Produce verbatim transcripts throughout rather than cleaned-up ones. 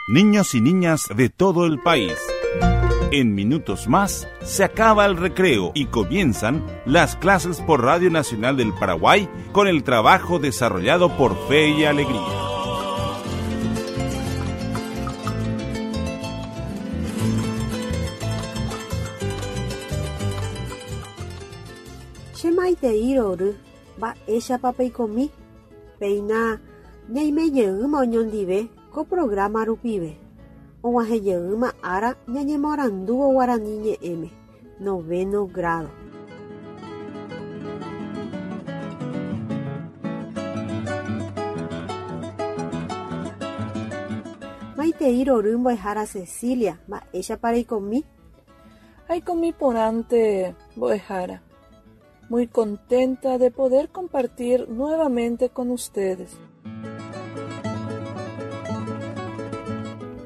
Niños y niñas de todo el país. En minutos más se acaba el recreo y comienzan las clases por Radio Nacional del Paraguay con el trabajo desarrollado por Fe y Alegría. Che maitei rory, mba'éichapa peikomi, péina ñaimejeýma oñondive ko programa rupive. Og̃uahẽjeýma ára ñañemoarandúvo guarani ñe'ẽme, noveno grado. Maitei rory mbo'ehára Cecilia, mba'éichapa reikomi? Aikomi porãnte mbo'ehára. Muy contenta de poder compartir nuevamente con ustedes.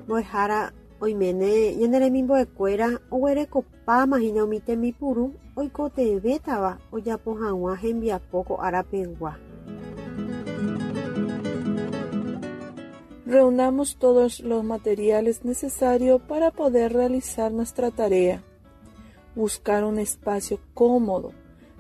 Mbo'ehára oiméne ñane remimbo'ekuéra oguerekopáma hína umi tembipuru oikotevẽtava ojapo hag̃ua hembiapo ko árapegua. Reunamos todos los materiales necesarios para poder realizar nuestra tarea. Buscar un espacio cómodo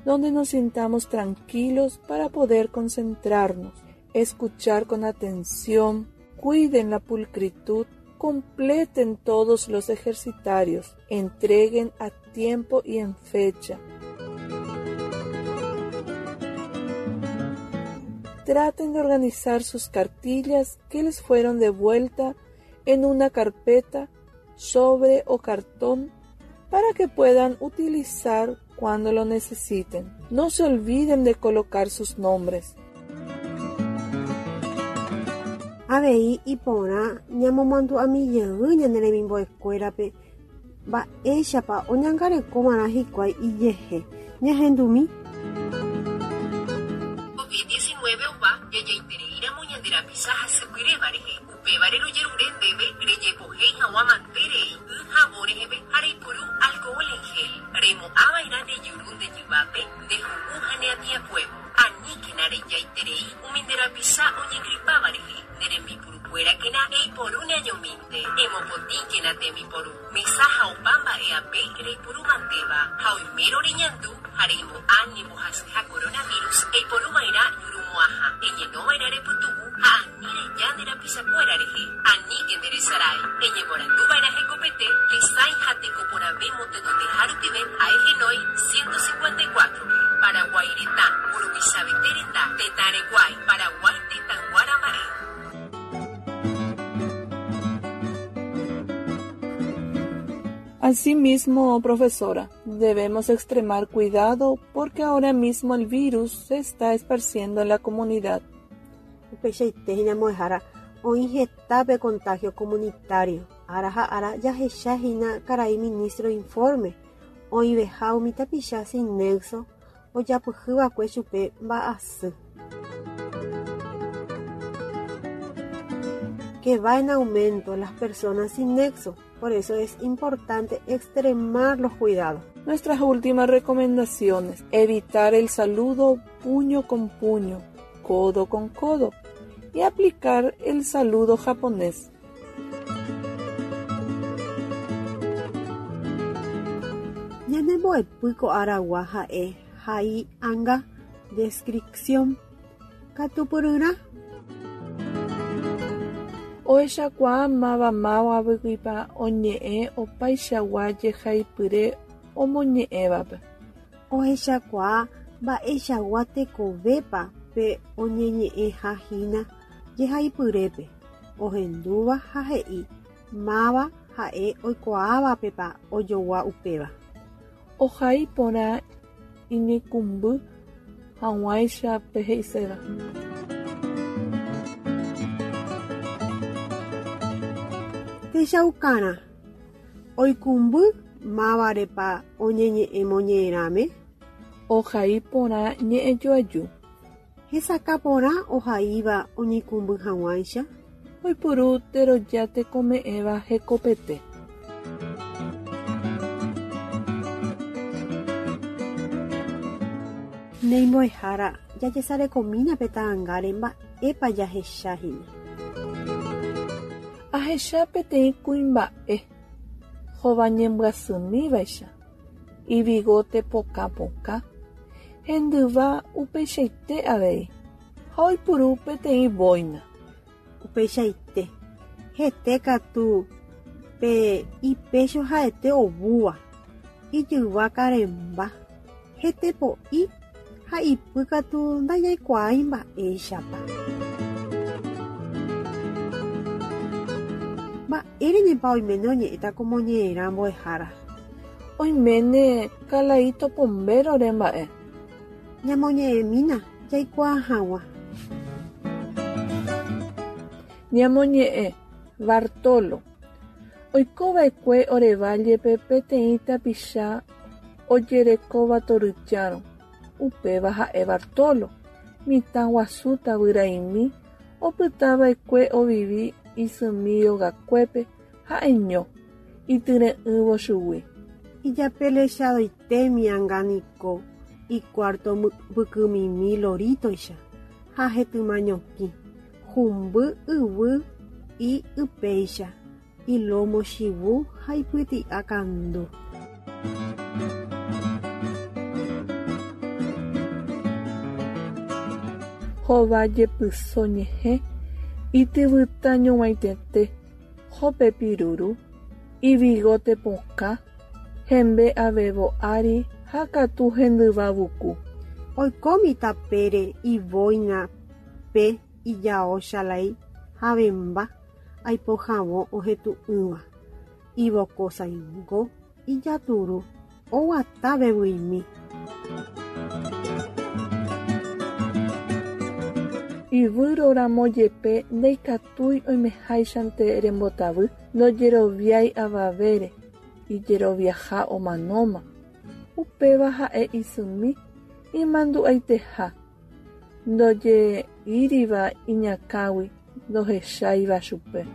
donde nos sintamos tranquilos para poder concentrarnos, escuchar con atención, cuiden la pulcritud, completen todos los ejercitarios, entreguen a tiempo y en fecha. Traten de organizar sus cartillas que les fueron devuelta en una carpeta, sobre o cartón para que puedan utilizar cuando lo necesiten. No se olviden de colocar sus nombres. Avei iporã ñamomandu'amijey ñane remimbo'ekuérape mba'éichapa oñangarekova'erã hikuái ijehe. Ñahendumi. COVID diecinueve ova jajaitereíramo ñande rapicha hasypyréva rehe. Upévare rojerure ndéve rejepohéi hag̃ua manterei y havõ reheve ha reipuru alcohol en gel. Remo'ãva'erã ndejuru nde jyvápe ndehu'u ha neatĩakuévo. Aníkena rejaiterei umi nde rapicha oñegripáva rehe. Nde rembipurukuérakena eiporu neañomínte. Emopotĩkena tembiporu. Mesa ha opa mba'e'ape reipuru mantéva. Ha oimérõ reñandu ha reimo'ã ñembohasyha coronavirus eiporuva'erã jurumo'ãha. Eñenova'erã repytu'u ha ani reja nde rapichakuéra rehe. Aníke nderesarái. Eñeporanduva'erã hekopete tesãi ha tekoporãve motenondeha rupive ha'ehenói ciento cincuenta y cuatro-pe. Paraguái retã, mburuvichavéte renda, tetã rekuái, Paraguái tetãyguára mba'e. Asimismo, profesora, debemos extremar cuidado porque ahora mismo el virus se está esparciendo en la comunidad. Upeichaite hína mbo'ehára oĩ hetápe contagio comunitario. Ára ha ára jahecha hína karai ministro informe oĩveha umi tapicha sin nexo ojapyhýva'ekue chupe mba'asy. Que va en aumento las personas sin nexo, por eso es importante extremar los cuidados. Nuestras últimas recomendaciones: evitar el saludo puño con puño, codo con codo y aplicar el saludo japonés. Ñanembo'epy ko aragua ha'e hai anga descripción katupyryrã. Ohechakuaa mavamávagui oñe'ẽ opaichagua jehaipyre omoñe'ẽvape. Ohechakuaa mba'eichagua tekovépa pe oñeñe'ẽhahína jehaipyrépe, ohendúva ha he'i máva ha'e oikuaávapepa ojogua upéva. Ohai porã iñikũmby hag̃uáicha pe he'iséva. Techaukarã oikũmby mávarepa oñeñe'ẽ moñe'ẽrãme. Ohai porã ñe'ẽjoaju. Hesakã porã ohaíva oñeikũmby hag̃uáicha. Oipuru teroja tekome'ẽva hekopete. Néi mbo'ehára jajesarekomína pe ta'ãngáre mba'épa jahechahína. Ahecha peteĩ kuimba'e hovañembyasymívaicha, ibigote pokãpokã, hendyva upeichaite avei ha oipuru peteĩ boina. Upeichaite, hete katu pe ipecho ha'ete ovúva, ijyva karẽmba, hete po'i ha ipy katu ndajaikuaái mba'éichapa. Mba'érenepa oiméne oñe'ẽta ko moñe'ẽrã mbo'ehára. Oiméne Kalaíto Pombérore mba'e. Ñamoñe'ẽmína jaikuaa hag̃ua. Ñamoñe'ẽ Bartolo. Oikova'ekue ore vállepe peteĩ tapicha ojerekóva toryjárõ, upéva ha'e Bartolo, mitã guasu tavyraimi opytava'ekue ovivi isymi rogakuépe ha'eño, ityre'ỹvo chugui. Ijapelechadoitémi anga niko icuarto mbykymimi loritoicha ha hetymañoki, humby yvy y ipéicha, ilomo chivu ha ipyti'a kandu. Hova jepyso ñehẽ ityvyta ñug̃uaitĩete, hopepiruru, ibigote pokã, hembe avevo ári ha katu hendyva vuku. Oikómi tapére iboina pe ijao chalái havẽmba aipohãvo ohetũ'ỹva, ivokosãingo, ijaturu, oguata vevyimi. Ivýroramo jepe ndaikatúi oimeháichante rembotavy ndojeroviái avavére, ijeroviaha omanóma. Upéva ha'e isymi imandu'aiteha, ndojeíriva iñakãgui ndohecháiva chupe.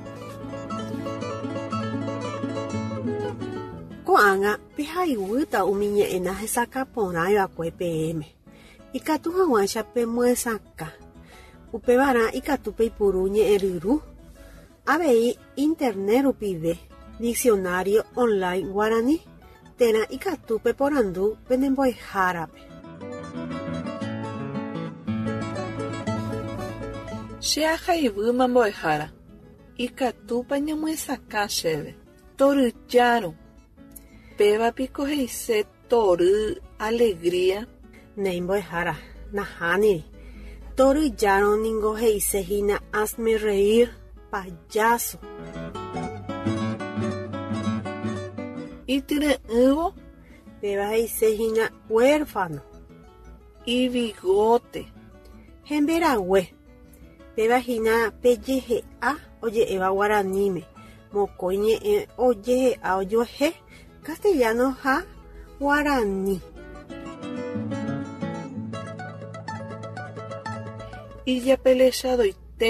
Ko'ág̃a pehaiguýta umi ñe'ẽ hesakãporãiva'ekue peẽme. Ikatu hag̃uáicha pemyesakã. Upevarã ikatu peipuru ñe'ẽryru. Avei internet rupive, diccionario online guarani, térã ikatu peporandu penembo'ehárape. Che ahaivýma mbo'ehára. Ikatúpa ñamyesakã chéve. Toryjárõ. Péva piko he'ise tory alegría. Néi mbo'ehára, nahániri. Toryjárõ ningo he'isehína hazme reír, payaso. Ityre'ỹvo. Péva he'isehína huérfano. Ibigote. Hemberague. Péva hína pejehe'a oje'éva guaraníme, mokõi ñe'ẽ ojehe'a ojuehe, castellano ha guarani. Ijapelechadoite.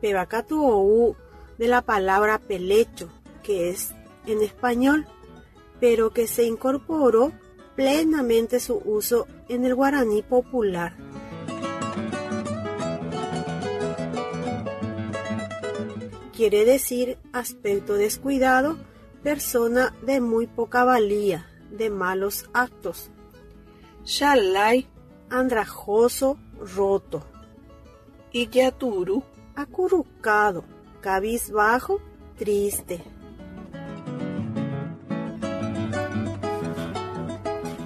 Péva katu ou de la palabra pelecho, que es en español, pero que se incorporó plenamente su uso en el guaraní popular. Quiere decir aspecto descuidado, persona de muy poca valía, de malos actos. Chalái. Andrajoso, roto. Ijaturu. Acurrucado, cabizbajo, triste.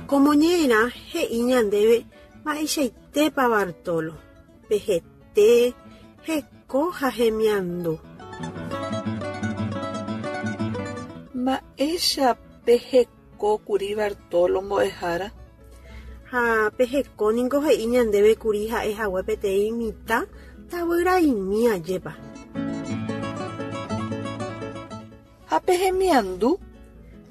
Ko moñe'ẽrã he'i ñandéve mba'eichaitépa Bartolo, pe hete, heko ha hemiandu. Mba'éicha pe hekókuri Bartolo mbo'ehára. Ha pe heko niko he'i ñandéve kuri ha'ehague peteĩ mitã tavyraimi ajépa. Ha pe hemiandu.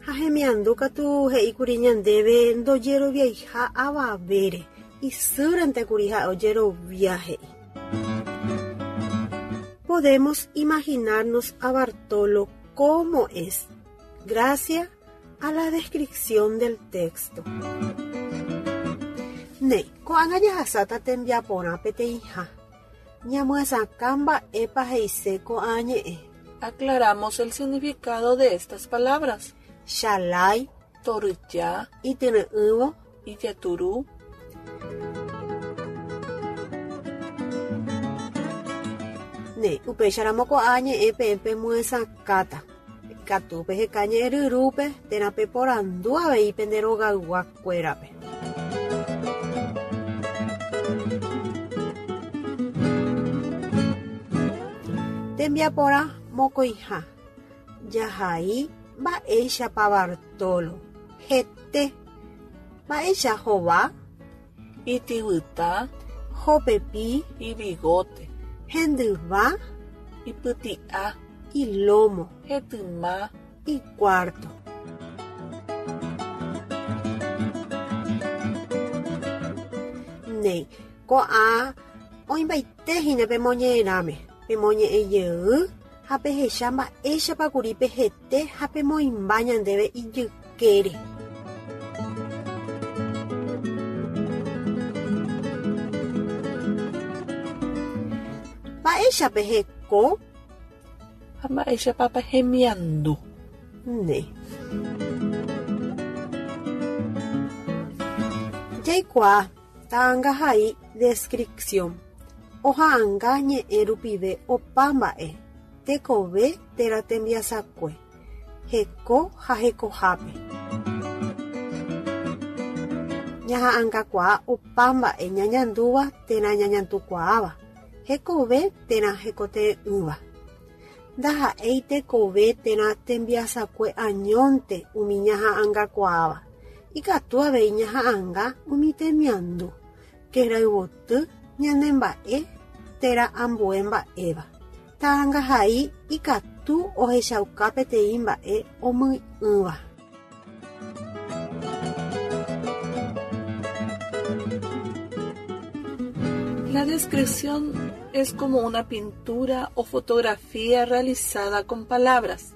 Ha hemiandu katu he'íkuri ñandéve ndojeroviaiha avavére, isýrente kuri ha'e ojerovia he'i. Podemos imaginarnos a Bartolo como es, gracias a la descripción del texto. Néi, ko'ág̃a jahasáta tembiaporã peteĩha. Ñamyesakã mba'épa he'ise ko'ã ñe'ẽ. Aclaramos el significado de estas palabras. Chalái, Toryja, ityre'ỹvo, Ijaturú. Ne, upéicharamo ko'ã ñe'ẽ peẽ pemyesakãta. Ikatu peheka ñe'ẽ ryrúpe térã peporandu avei pende rogayguakuérape. Tembiaporã mokõiha. Jahai mba'éichapa Bartolo. Hete. Mba'éicha hova. Ityvyta, Hopepi. Ibigote. Hendyva. Ipyti'a. Ilomo. Hetyma. Icuarto. Néi, ko'ã oĩmbaitehína pemoñe'ẽrãme, pemoñe'ẽjey ha pehecha mba'éichapa kuri pehete ha pemoĩmba ñandéve ijykére. Mba'éicha peheko? Ha mba'éichapa pehemiandu. Néi. Jaikuaa ta'ãngahai descripción. Oha'ãnga ñe'ẽ rupive opa mba'e, tekove térã tembiasakue, heko ha hekohápe. Ñaha'ãngakuaa opa mba'e ñañandúva térã ñañandukuaáva, hekove térã hekote'ỹva. Ndaha'éi tekove térã tembiasakue añónte umi ñaha'ãngakuaáva. Ikatu avei ñaha'ãnga umi temiandu, kerayvoty ñanemba'e térã ambue mba'éva. Ta'ãngahai ikatu ohechauka peteĩ mba'e omy'ỹva. La descripción es como una pintura o fotografía realizada con palabras.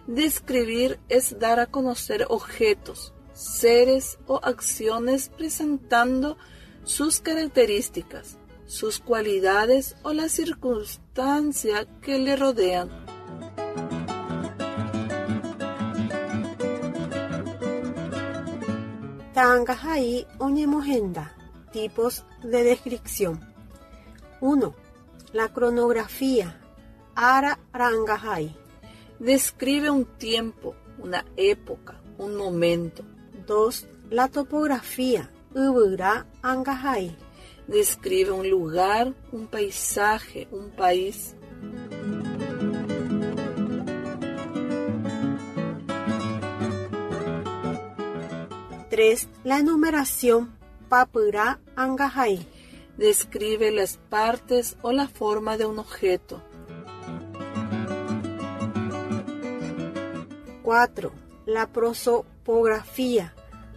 Describir es dar a conocer objetos, seres o acciones presentando sus características, sus cualidades o las circunstancias que le rodean. Ta'ãngahai oñemohenda. Tipos de descripción. uno. La cronografía. Ara ra'ãngahai. Describe un tiempo, una época, un momento. dos. La topografía. Yvyra angahai. Describe un lugar, un paisaje, un país. tres. La enumeración. Papyra angahai. Describe las partes o la forma de un objeto. cuatro. La prosopografía.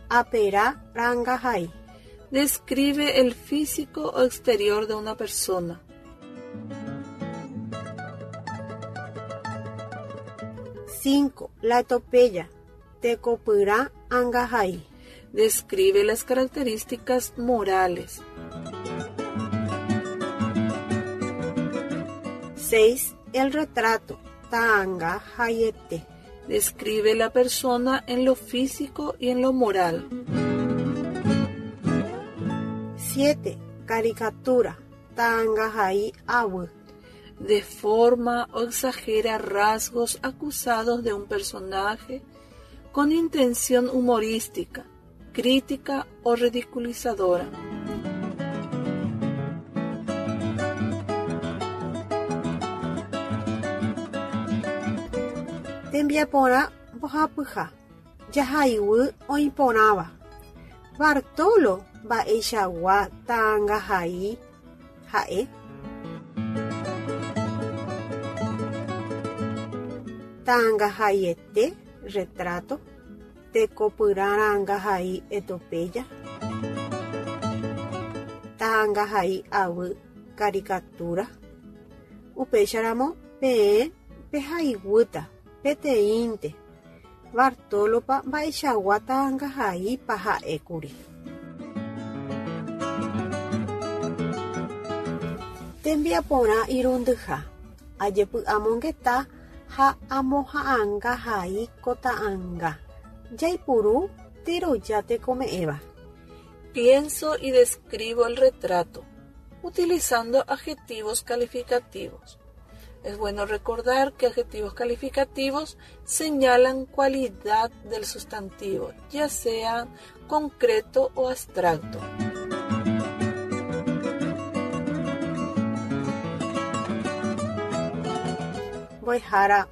Aperá rangahai. Describe el físico o exterior de una persona. cinco. La etopeya. Tekopyrã angahai. Describe las características morales. seis. El retrato. Ta'anga hayete. Describe la persona en lo físico y en lo moral. siete. Caricatura. Ta'angahai avy. Deforma o exagera rasgos acusados de un personaje con intención humorística, crítica o ridiculizadora. Tembiaporã mbohapyha. Jahayvy oĩporãva. Bartolo mba'eichagua ta'ãngahai ha'e. Ta'ãngahaiete retrato. Tekopyrã ra'ãngahai etopeya. Ta'ãngahai avy caricatura. Upéicharamo peẽ pehaiguýta peteĩnte. Bartolopa mba'eichagua ta'ãngahaipa ha'ékuri. Tembiaporã irundyha. Ajepy'amongeta Ha amoha'ãngahai ko ta'ãnga. Jaipuru teroja tekome'ẽva. Pienso y describo el retrato, utilizando adjetivos calificativos. Es bueno recordar que adjetivos calificativos señalan cualidad del sustantivo, ya sea concreto o abstracto. Mbo'ehára,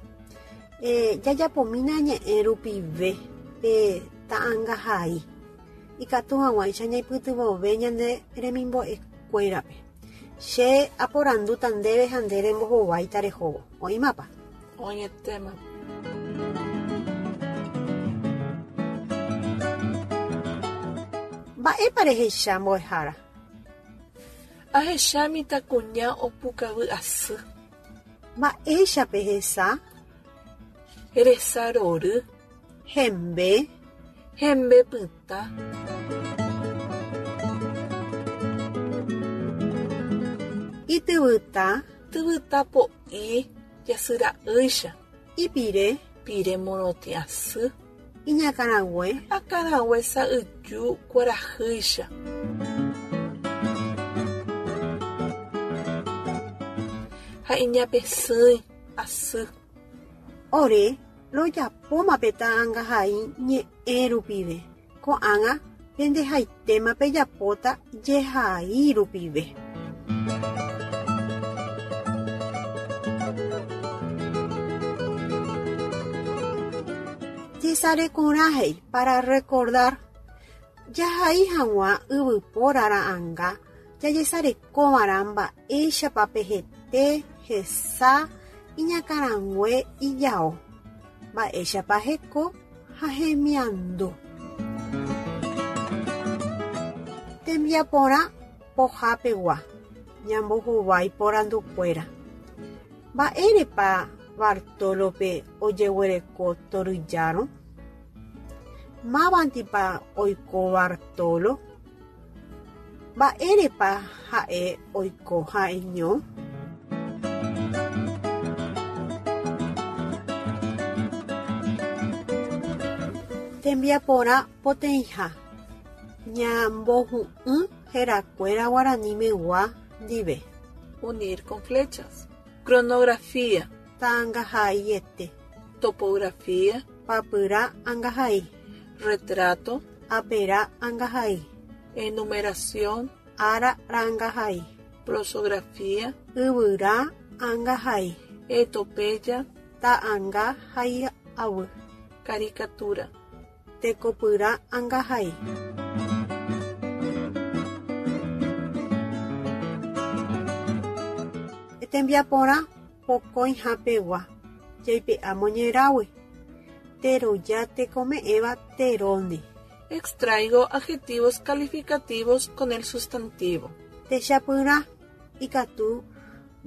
eh, jajapomína ñe'ẽ rupive pe ta'ãngahai. Ikatu hag̃uáicha ñaipytyvõve ñane remimbo'ekuérape. Che aporandúta ndéve ha nde rembohováita rehóvo. Oĩmapa? Oĩetéma. Mba'épa rehecha mbo'ehára? Ahecha mitãkuña opukavy asy. Mba'éichapa hesa? Resa rory. Hembe. Hembe pytã. Ityvyta. Tyvyta po'i jasyra'ýicha. Ipire. Pire morotĩ asy. Iñakãrague. Akãrague sa'yju kuarahýicha. Ha iñapesỹi asy. Ore rojapóma pe ta'ãngahai ñe'ẽ rupive. Ko'ág̃a pendehaitéma pejapóta jehai rupive. Jesarekorã para recordar. Jahai hag̃ua yvypóra ra'ãnga jajesarekova'erã mba'éichapa hete, hesa, iñakãrague, ijao. Mba'éichapa heko ha hemiandu. Tembiaporã pohapegua ñambohovái porandukuéra. Mba'érepa Bartolope ojeguereko toryjárõ? Mávandipa oiko Bartolo? Mba'érepa ha'e oiko ha'eño? Tembiaporã poteĩha. Ñambohu'ũ herakuéra guaranimegua ndive. Unir con flechas. Cronografía. Ta'ãngahaiete. Topografía. Papyrã angahai. Retrato. Aperã angahai. Enumeración. Ára rangahai. Prosografía. Yvyra angahai. Etopeya. Ta'ãnga hai'avy. Caricatura. Tekopyrã angahai. Tembiaporã pokõihapegua. Jaipe'a moñerágui. Teroja tekome'ẽva teróndi. Extraigo adjetivos calificativos con el sustantivo. Techapyrã ikatu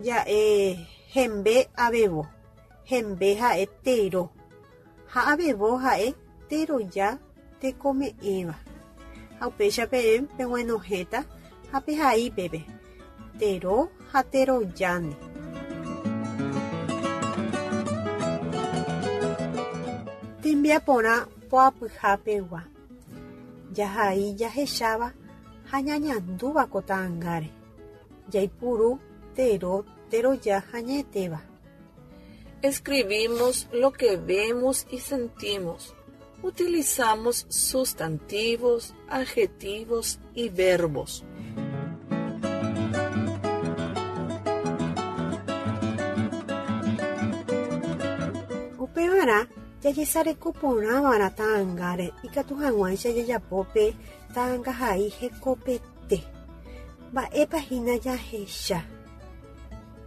ja'e hembe avevo. Hembe ha'e tero. Ha avevo ha'e teroja tekome'ẽva. Ha upéicha peẽ peg̃uenohẽta ha pehai peve. Tero ha terojáne. Tembiaporã poapyhapegua. Jahai jahecháva ha ñañandúva ko ta'ãngáre. Jaipuru tero teroja hañetéva. Escribimos lo que vemos y sentimos. Utilizamos sustantivos, adjetivos y verbos. Upevarã jajesarekoporãva'erã ta'ãngáre ikatu hag̃uáicha jajapo pe ta'ãngahai hekopete. Mba'épa hína jahecha?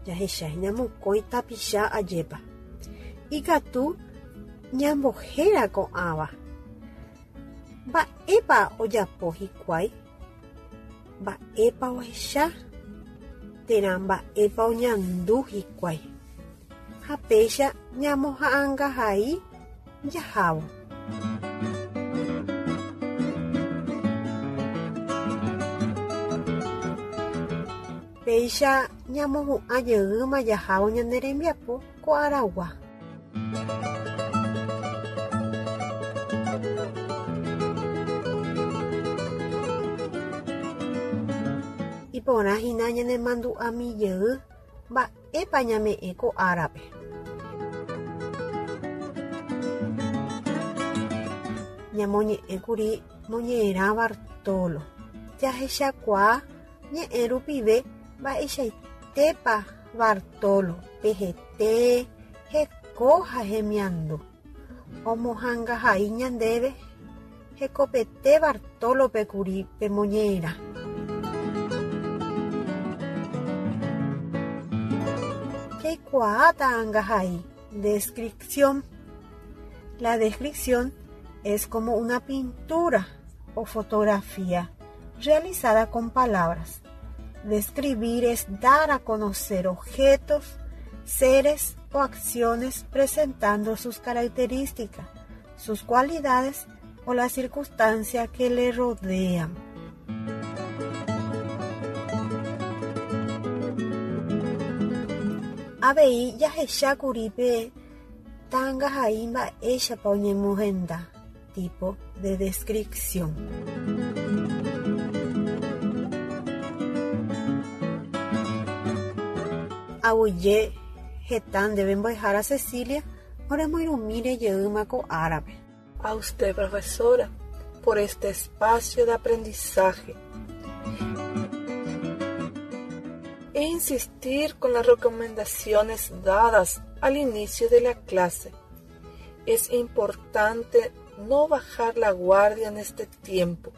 Jahechahína mokõi tapicha ajépa. Ikatu ñambohéra ko'ãva. Mba'épa ojapo hikuái? Mba'épa ohecha? Térã mba'épa oñandu hikuái? Ha péicha ñamoha'ãngahai jahávo. Péicha ñamohu'ã jeýma jahávo ñane rembiapo ko aragua. Iporã hína ñanemandu'amijey mba'épa ñame'ẽ ko árape. Ñamoñe'ẽkuri moñe'ẽrã Bartolo. Jahechakuaa ñe'ẽ rupive mba'eichaitépa Bartolo pehete heko ha hemiandu. Omohãngahai ñandéve hekopete Bartolope kuri pe moñe'ẽrã. Jaikuaa ta'ãngahai. Descripción. La descripción es como una pintura o fotografía realizada con palabras. Describir es dar a conocer objetos, seres o acciones presentando sus características, sus cualidades o las circunstancias que le rodean. Avei jahechákuri pe ta'ãngahai mba'éichapa oñemohenda tipo de descripción. Aguyje heta ndéve mbo'ehára Cecilia oremoirũmíre jeýma ko árape. A usted, profesora, por este espacio de aprendizaje. E insistir con las recomendaciones dadas al inicio de la clase. Es importante no bajar la guardia en este tiempo,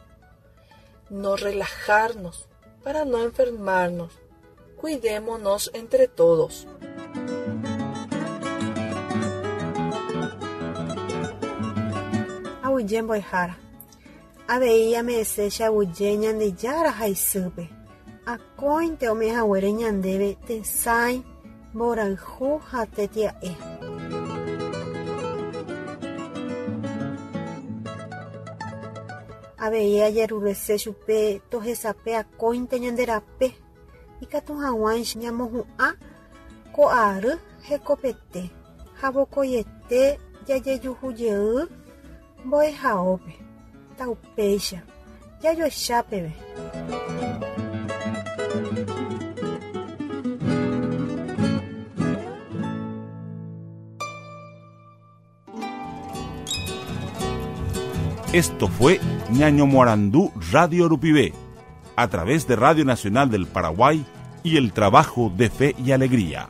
no relajarnos para no enfermarnos. Cuidémonos entre todos. Aguyje mbo'ehára. Avei ame'ẽse che aguyje Ñandejára ha isýpe. Akóinte ome'ẽhaguére ñandéve tesãi, mborayhu ha tetia'e. Avei ajerurese chupe tohesape akóinte ñande rape ikatu hag̃uáicha ñamohu'ã ko ary hekopete ha vokoiete jajejuhujey mbo'ehaópe. Taupéicha jajoecha peve. Esto fue Ñañomoarandú Radio Rupive, a través de Radio Nacional del Paraguay y el trabajo de Fe y Alegría.